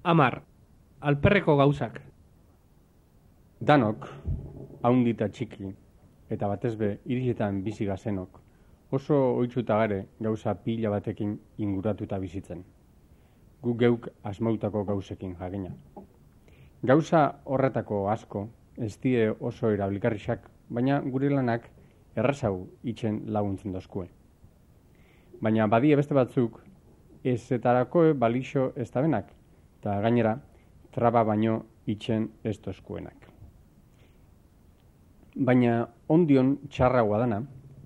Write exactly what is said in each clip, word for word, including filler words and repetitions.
Amar, alperreko gauzak. Danok, haundi eta txiki, eta batez be, hirietan bizi gazenok, oso ohituta gare gauza pila batekin inguratuta bizitzen. Gu geuk asmautako gauzekin jakina. Gauza horretako asko, ez die oso erabilgarriak, baina gure lanak errazau itzen laguntzen dozkue. Baina badie beste batzuk, ezetarako balixo ez dabenak, eta gainera, traba baino itzen ez dozkuenak. Baina ondion txarragoa dana,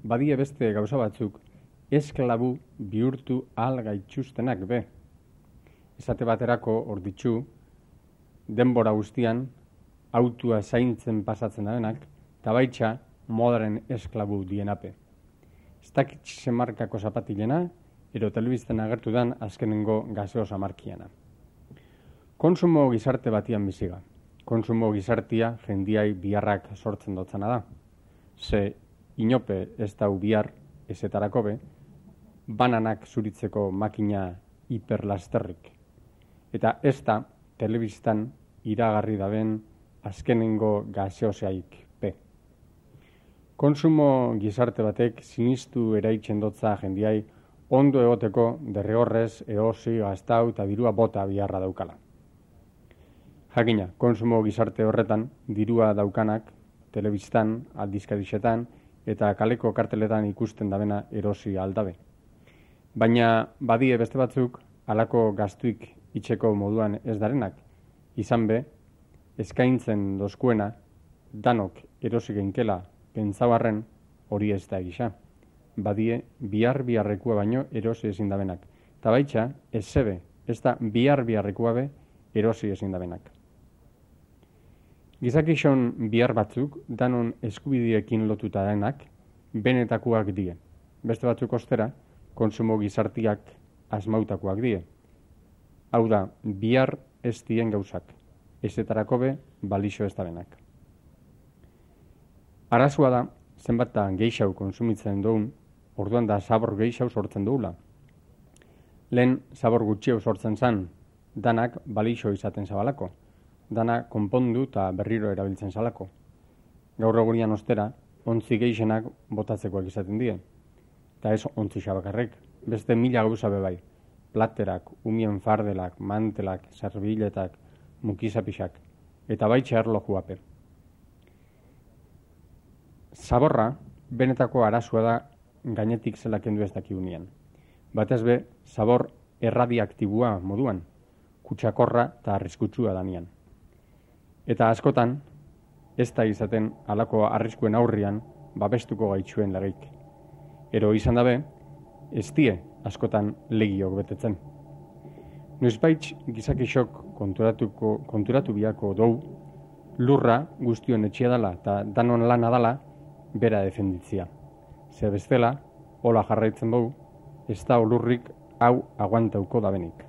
badie beste gauza batzuk esklabu bihurtu ahal gaitxustenak be. Esate baterako orditxu, denbora guztian, autua zaintzen pasatzen dabenak, eta baitxa modaren esklabu dienape. Ez dakitxe markako zapatilena, ero telebizten agertu dan azkenengo gaseosa markiana. Konsumo gizarte batian biziga. Konsumo gizartia jendiai biharrak sortzen dotzana da. Ze inope ez dau bihar ezetarako be, bananak zuritzeko makina hiperlasterrik. Eta ez da telebistan iragarri daben azkenengo gaseosaik pe. Konsumo gizarte batek sinistu eraitzen dotza jendiai ondo egoteko derrigorrez eosi, gaztau eta dirua bota biharra daukala. Jakina, konsumo gizarte horretan dirua daukanak telebistan, aldizkarixetan eta kaleko karteletan ikusten dabena erosi aldabe. Baina badie beste batzuk halako gaztuik itxeko moduan ez darenak, izan be, eskaintzen dozkuena danok erosi geinkela pentsabarren hori ez da egisa. Badie bihar biharrekua baino erosi ezin dabenak. Eta baitxa, ez zebe, ez da bihar biharrekua be erosi ezin dabenak. Gizakixon bihar batzuk, danon eskubidiekin lotuta denak, benetakoak die. Beste batzuk ostera, konsumo gizartiak asmautakoak die. Hau da, bihar ez dien gauzak, ezetarako be balixo ez dabenak. Arazua da, zenbat da geixau konsumitzen dugun, orduan da zabor geixau sortzen dugula. Lehen zabor gutxiau sortzen zan, danak balixo izaten zabalako. Dana konpondu eta berriro erabiltzen zalako. Gaur egunian ostera, ontzi geixenak botatzekoak izaten die. Eta ez ontzi xabakarrek, beste mila gauza bebai. Platerak, umien fardelak, mantelak, zerbiletak, mukizapixak, eta baitxe erlojuape. Zaborra, benetako arazua da gainetik zela kendu ez dakiunean. Batez be, zabor erradiaktibua moduan, kutsakorra eta arriskutsua danian. Eta askotan, ez da izaten halako arriskuen aurrian babestuko gaitxuen legeik. Ero izan dabe, ez die askotan legiok betetzen. Noizbaitz gizakixok konturatuko, konturatu biako dou, lurra guztion etxia dala eta danon lana dala bera defenditzia. Ze bestela, hola jarraitzen dugu, ez da olurrik hau aguantauko dabenik.